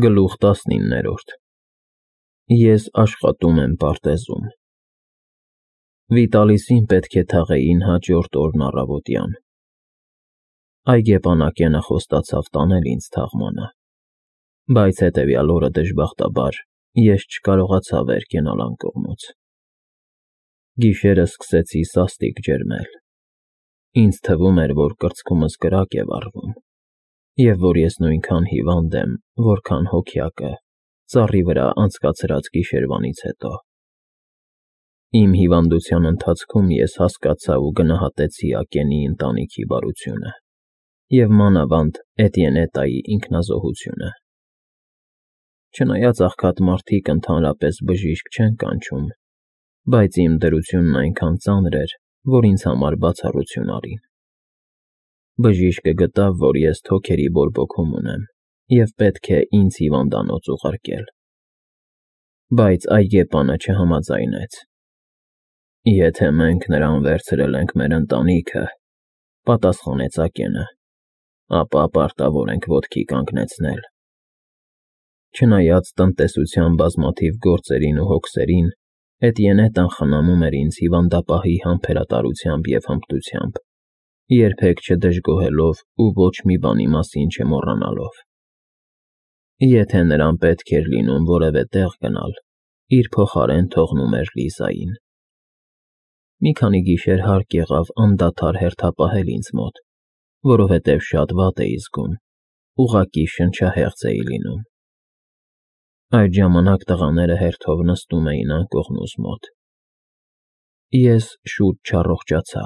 Գլուխ 19 Ես աշխատում եմ պարտեզում։ Վիտալիսին պետք է թաղեին հաջորդ օրն առավոտյան։ Այգեպանակենը խոստացավ տանել ինձ թաղմանը, բայց հետևյալ օրը դժբախտաբար ես չկարողացա վեր կենալ անկողնուց։ Գիշերը սկսեցի սաստիկ ջերմել։ Ինձ թվում էր, որ կրծքումս կրակ է վառվում, և որ ես նույնքան հիվանդ եմ, որքան հոգյակը ծառի վրա անցկացրած գիշերվանից հետո։ Իմ հիվանդության ընթացքում ես հասկացա ու գնահատեցի Ակենի ընտանիքի բարությունը և մանավանդ Էտիենետայի ինքնազոհությունը։ Չնայած աղքատ մարդիկ ընդհանրապես բժիշկ չեն կանչում, բայց իմ դրությունն այնքան ծանր էր, որ ինձ համար բացառություն արին։ Բժիշկը գտավ, որ ես թոքերի բորբոքում ունեմ և պետք է ինձ հիվանդանոց ուղարկել։ Բայց այգեպանը չհամաձայնեց։ Եթե մենք նրան վերցրել ենք մեր ընտանիքը, պատասխանեց Ակենը, ապա պարտավոր ենք ոտքի կանգնեցնել։ Չնայած տնտեսության բազմաթիվ գործերին ու հոգսերին, Էտիենետան խնամում էր ինձ հիվանդապահի համբերատարությամբ և հմտությամբ, երբեք չդժգոհելով ու ոչ մի բանի մասին չմոռանալով։ Եթե նրան պետք էր լինում որևէ տեղ գնալ, իր փոխարեն թողնում էր Լիզային։ Մի քանի գիշեր հարկ եղավ անդադար հերթապահել ինձ մոտ, որովհետև շատ վատ էի զգում, ուղղակի շնչահեղձ էի լինում։ Այդ ժամանակ տղաները հերթով նստում էին անկողնուս մոտ։ Ես շուտ չառողջացա,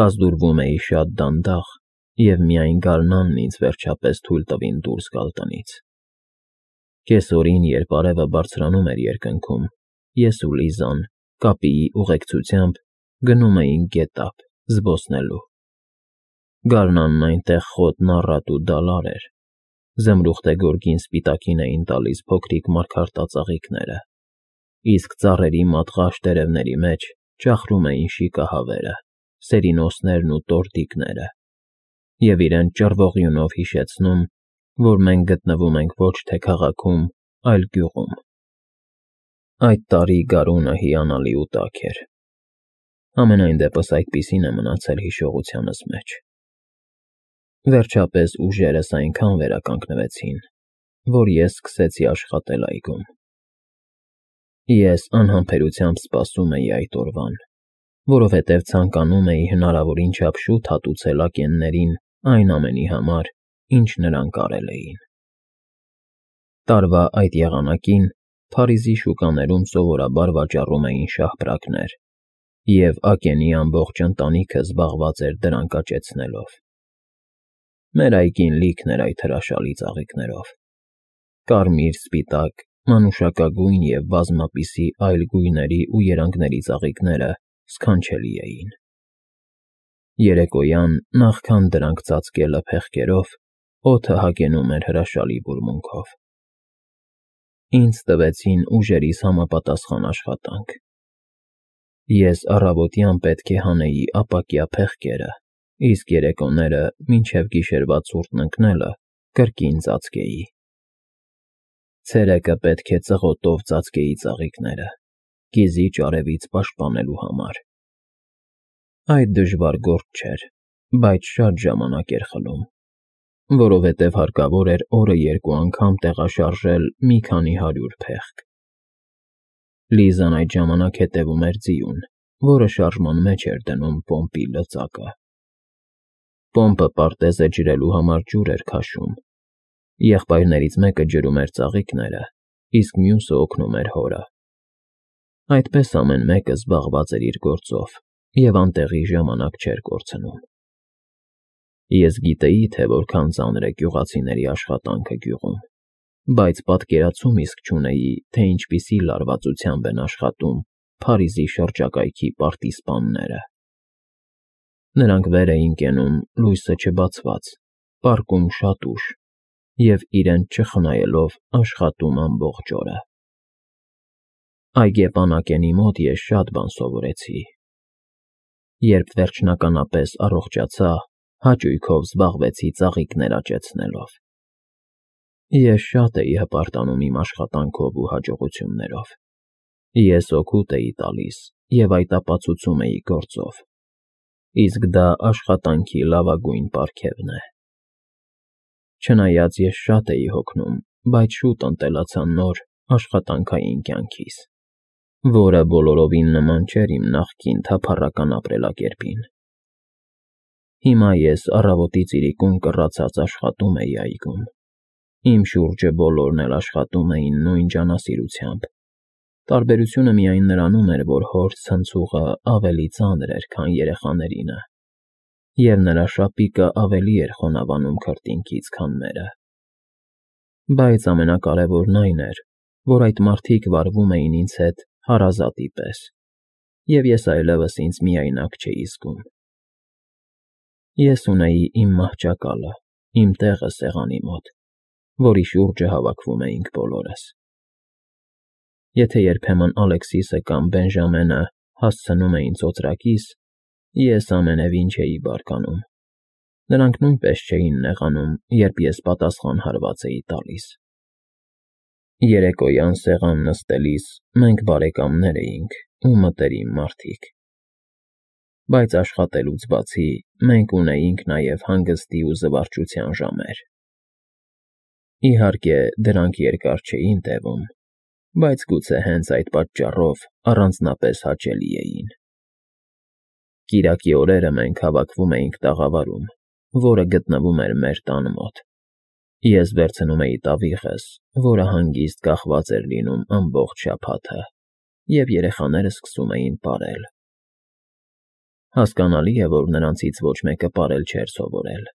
կազդուրվում էի շատ դանդաղ, և միայն գարնանն ինձ վերջապես թույլ տվին դուրս գալ տնից։ Կեսօրին, երբ արևը բարձրանում էր երկնքում, ես ու Լիզան, կապիի ուղեկցությամբ, գնում էինք գետափ զբոսնելու։ Գարնանն այնտեղ խոտն առատ ու դալար էր, զմրուխտե գորգին սպիտակին էին տալիս փոքրիկ մարգարտածաղիկները, իսկ ծառերի մատղաշ տերևների մեջ ճախրում էին շիկահավերը, սերինոսներն ու տորտիկները և իրենց ճռվողյունով հիշեցնում, որ մենք գտնվում ենք ոչ թե քաղաքում, այլ գյուղում։ Այդ տարի գարունը հիանալի ու տաք էր։ Համենայն դեպս այդպիսին է մնացել հիշողությանս մեջ։ Վերջապես ուժերս այնքան վերականգնվեցին, որ ես սկսեցի աշխատել այգում։ Ես անհամբերությամբ սպասում էի այդ օրվան, որովհետև ցանկանում էի հնարավորին չափ շուտ հատուցել ակեններին այն ամենի համար, ինչ նրանք արել էին։ Տարվա այդ եղանակին Փարիզի շուկաներում սովորաբար վաճառում էին շահպրակներ, և Ակենի ամբողջ ընտանիքը զբաղված էր դրանք աճեցնելով։ Մեր այգին լիքն էր այդ հրաշալի ծաղիկներով։ Կարմիր, սպիտակ, մանուշակագույն և բազմապիսի այլ գույների ու երանգների ծաղիկները սքանչելի էին։ Երեկոյան, նախքան դրանք ծածկելը փեղկերով, օդը հագենում էր հրաշալի բուրմունքով։ Ինձ տվեցին ուժերիս համապատասխան աշխատանք։ Ես առավոտյան պետք է հանեի ապակյա փեղկերը, իսկ երեկոները, մինչև գիշերվա ցուրտն ընկնելը, կրկին ծածկեի։ Ցերեկը պետք է ծղոտով ծածկեի ծաղիկները, կիզիչ արևից պաշտպանելու համար։ Այդ դժվար գործ չէր, բայց շատ ժամանակ էր խլում, որովհետև հարկավոր էր օրը երկու անգամ տեղաշարժել մի քանի 100 փեղկ։ Լիզան այդ ժամանակ հետևում էր ձիուն, որը շարժման մեջ էր դնում պոմպի լծակը։ Պոմպը պարտեզը ջրելու համար ջուր էր քաշում։ Եղբայրներից մեկը ջրում էր ծաղիկները, իսկ մյուսը օգնում էր հորը։ Այդպես ամեն մեկը զբաղված էր իր գործով և անտեղի ժամանակ չէր կորցնում։ Ես գիտեի, թե որքան ծանր է գյուղացիների աշխատանքը գյուղում, բայց պատկերացում իսկ չունեի, թե ինչպիսի լարվածությամբ են աշխատում Փարիզի շրջակայքի պարտիզպանները։ Նրանք վեր էին կենում լույսը չբացված, պառկում շատ ուշ և իրենց չխնայելով աշխատում ամբողջ օրը։ Այգեպան Ակենի մոտ ես շատ բան սովորեցի։ Երբ վերջնականապես առողջացա, հաճույքով զբաղվեցի ծաղիկներ աճեցնելով։ Ես շատ էի հպարտանում իմ աշխատանքով ու հաջողություններով։ Ես օգուտ էի տալիս և այդ ապացուցում էի գործով։ Իսկ դա աշխատանքի լավագույն պարգևն է։ Չնայած ես շատ էի հոգնում, բայց շուտ ընտելացա նոր աշխատանքային կյանքիս, որը բոլորովին նման չէր իմ նախկին թափառական ապրելակերպին։ Հիմա ես առավոտից իրիկուն կռացած աշխատում էի այգում։ Իմ շուրջը բոլորն էլ աշխատում էին նույն ջանասիրությամբ։ Տարբերությունը միայն նրանում էր, որ հոր ցնցուղը ավելի ծանր էր, քան երեխաներինը, և նրա շապիկը ավելի էր խոնավանում քրտինքից, քան մերը։ Բայց ամենակարևորն այն էր, որ այդ մարդիկ վարվում էին ինձ հետ հարազատի պես, և ես այլևս ինձ միայնակ չէի զգում։ Ես ունեի իմ մահճակալը, իմ տեղը սեղանի մոտ, որի շուրջը հավաքվում էինք բոլորս։ Եթե երբեմն Ալեքսիսը կամ Բենժամենը հասցնում էին ծոծրակիս, ես ամենևին չէի բարկանում։ Նրանք նույնպես չէին նեղանում, երբ ես պատասխան հարված էի տալիս։ Երեկոյան սեղան նստելիս մենք բարեկամներ էինք ու մտերիմ մարդիկ։ Բայց աշխատելուց բացի մենք ունեինք նաև հանգստի ու զվարճության ժամեր։ Իհարկե, դրանք երկար չէին տևում, բայց գուցե հենց այդ պատճառով առանձնապես հաճելի էին։ Կիրակի օրերը մենք հավաքվում էինք տաղավարում, որը գտնվում էր մեր տան մոտ։ Ես վերցնում էի տավիղս, որը հանգիստ կախված էր լինում ամբողջ շաբաթը, և երեխաները սկսում էին պարել։ Հասկանալի է, որ նրանցից ոչ մեկը պարել չէր սովորել,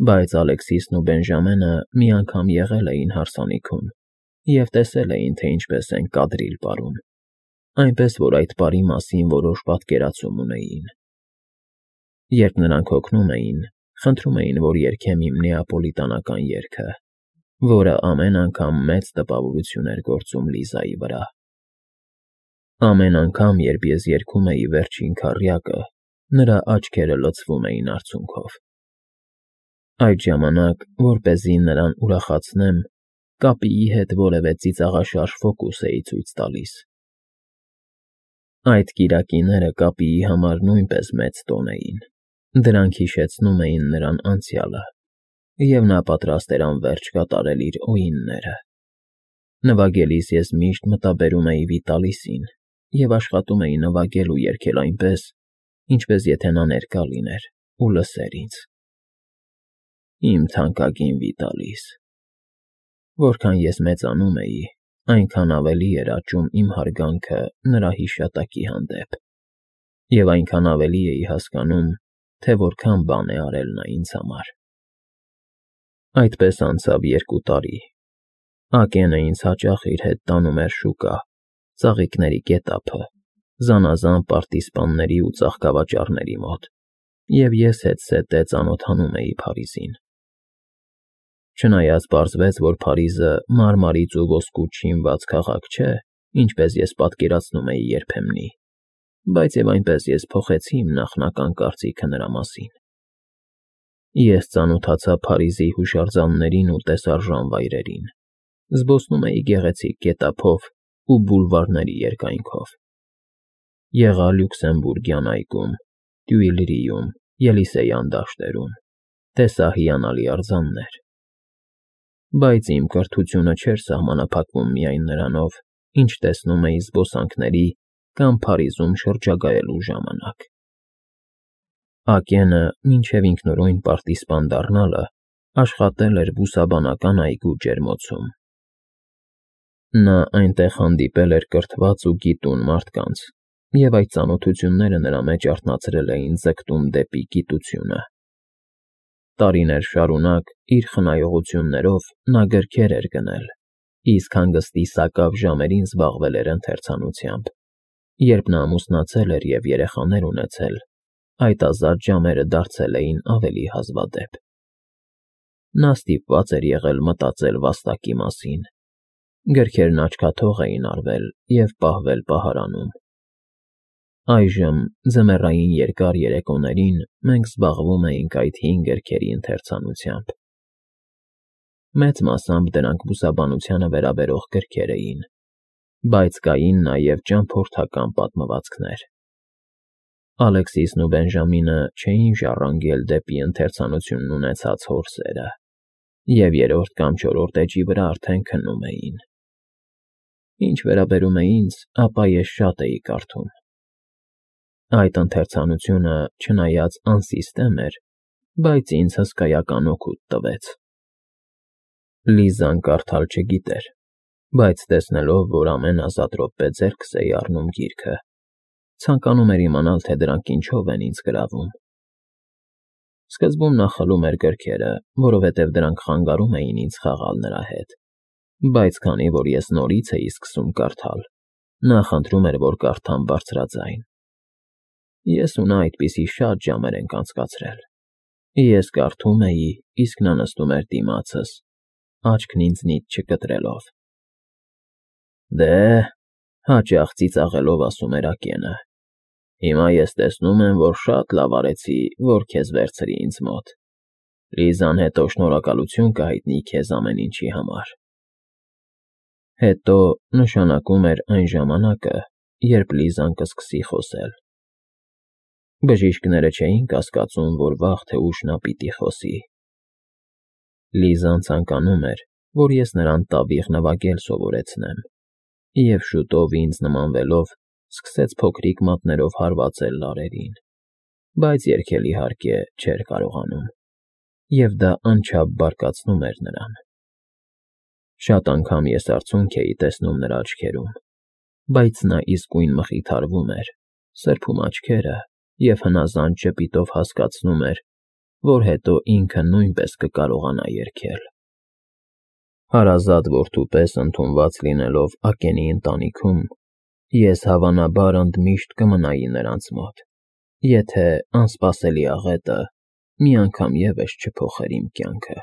բայց Ալեքսիսն ու Բենժամենը մի անգամ եղել էին հարսանիքում և տեսել էին, թե ինչպես են կադրիլ պարում, այնպես որ այդ պարի մասին որոշ պատկերացում ունեին։ Երբ նրանք հոգնում էին, խնդրում էին, որ երգեմ իմ նեապոլիտանական երգը, որը ամեն անգամ մեծ տպավորություն էր գործում Լիզայի վրա։ Ամեն անգամ, երբ ես երգում էի վերջին քառյակը, նրա աչքերը լցվում էին արցունքով։ Այդ ժամանակ, որպեսզի նրան ուրախացնեմ, կապիի հետ որևէ ծիծաղաշարժ ֆոկուս էի ցույց տալիս։ Այդ կիրակիները կապիի համար նույնպես մեծ տոն էին։ Դրանք հիշեցնում էին նրան անցյալը, և նա պատրաստ էր անվերջ կատարել իր օրինները։ Նվագելիս ես միշտ մտաբերում էի Վիտալիսին և աշխատում էի նվագել ու երգել այնպես, ինչպես եթե նա ներկա լիներ ու լսեր ինձ։ Իմ թանկագին Վիտալիս։ Որքան ես մեծանում էի, այնքան ավելի էր աճում իմ հարգանքը նրա հիշատակի հանդեպ, և այնքան ավելի էի հասկանում, թե որքան բան է արել նա ինձ համար։ Այդպես անցավ 2 տարի։ Ակենը ինձ հաճախ իր հետ տանում էր շուկա, ծաղիկների գետափը, զանազան պարտիզպանների ու ծաղկավաճառների մոտ, և ես հետզհետե ծանոթանում էի Փարիզին։ Չնայած պարզվեց, որ Փարիզը մարմարից ու ոսկուց շինված քաղաք չէ, ինչպես ես պատկերացնում էի երբեմնի, բայց և այնպես ես փոխեցի իմ նախնական կարծիքը նրա մասին։ Ես ծանոթացա Փարիզի հուշարձաններին ու տեսարժան վայրերին, զբոսնում էի գեղեցիկ գետափով ու բուլվարների երկայնքով։ Եղա Լյուքսեմբուրգյան այգում, Տյուիլրիում, Ելիսեյան դաշտերում, տեսա հիանալի արձաններ։ Բայց իմ կրթությունը չէր սահմանափակվում միայն նրանով, ինչ տեսնում էի զբոսանքների կամ Փարիզում շրջագայելու ժամանակ։ Ակենը, մինչև ինքնուրույն պարտիզպան դառնալը, աշխատել էր բուսաբանական այգու ջերմոցում։ Նա այնտեղ հանդիպել էր կրթված ու գիտուն մարդկանց, և այդ ծանոթությունները նրա մեջ արթնացրել էին ձգտում դեպի գիտությունը։ Տարիներ շարունակ իր խնայողություններով նա գրքեր էր գնել, իսկ հանգստի սակավ ժամերին զբաղվել էր ընթերցանությամբ։ Երբ նա ամուսնացել էր և երեխաներ ունեցել, այդ ազատ ժամերը դարձել էին ավելի հազվադեպ։ Նա ստիպված էր եղել մտածել վաստակի մասին։ Գրքերն աչքաթող էին արվել և պահվել պահարանում։ Այժմ, ձմեռային երկար երեկոներին մենք զբաղվում էինք այդ հին գրքերի ընթերցանությամբ։ Մեծ մասամբ դրանք բուսաբանությանը վերաբերող գրքեր էին, բայց կային նաև ճամփորդական պատմվածքներ։ Ալեքսիսն ու Բենժամինը չէին ժառանգել դեպի ընթերցանությունն ունեցած հորսերը և երրորդ կամ չորրորդ էջի վրա արդեն քննում էին։ Ինչ վերաբերում է ինձ, ապա ես շատ էի կարդում։ Այդ ընթերցանությունը, չնայած անսիստեմ էր, բայց ինձ հսկայական օգուտ տվեց։ Լիզան կարդալ չգիտեր, բայց տեսնելով, որ ամեն ազատ րոպե ձեռքս էի առնում գիրքը, ցանկանում էր իմանալ, թե դրանք ինչով են ինձ գրավում։ Սկզբում նա խլում էր գրքերը, որովհետև դրանք խանգարում էին ինձ խաղալ նրա հետ, բայց քանի որ ես նորից էի սկսում կարդալ, նա խնդրում էր, որ կարդամ բարձրաձայն։ Ես ու նա այդպիսի շատ ժամեր ենք անցկացրել։ Ես կարդում էի, իսկ նա նստում էր դիմացս, աչքն ինձնից չկտրելով։ Դե, հաճախ ծիծաղելով ասում էր Ակենը, հիմա ես տեսնում եմ, որ շատ լավ արեցի, որ քեզ վերցրի ինձ մոտ։ Լիզան հետո շնորհակալություն կհայտնի քեզ ամեն ինչի համար։ Հետո նշանակում էր այն ժամանակը, երբ Լիզան կսկսի խոսել։ Բժիշկները չէին կասկածում, որ վաղ թե ուշ նա պիտի խոսի։ Լիզան ցանկանում էր, որ ես նրան տավիղ նվագել սովորեցնեմ, և շուտով ինձ նմանվելով սկսեց փոքրիկ մատներով հարվածել լարերին, բայց երգել իհարկե չէր կարողանում, և դա անչափ բարկացնում էր նրան։ Շատ անգամ ես արցունք էի տեսնում նրա աչքերում, բայց նա իսկույն մխիթարվում էր, սրբում աչքերը և հնազանդ ժպիտով հասկացնում էր, որ հետո ինքը նույնպես կկարողանա երգել։ Հարազատ որդու պես ընդունված լինելով Ակենի ընտանիքում, ես հավանաբար ընդմիշտ կմնայի նրանց մոտ, եթե անսպասելի աղետը մի անգամ ևս չփոխեր իմ կյանքը։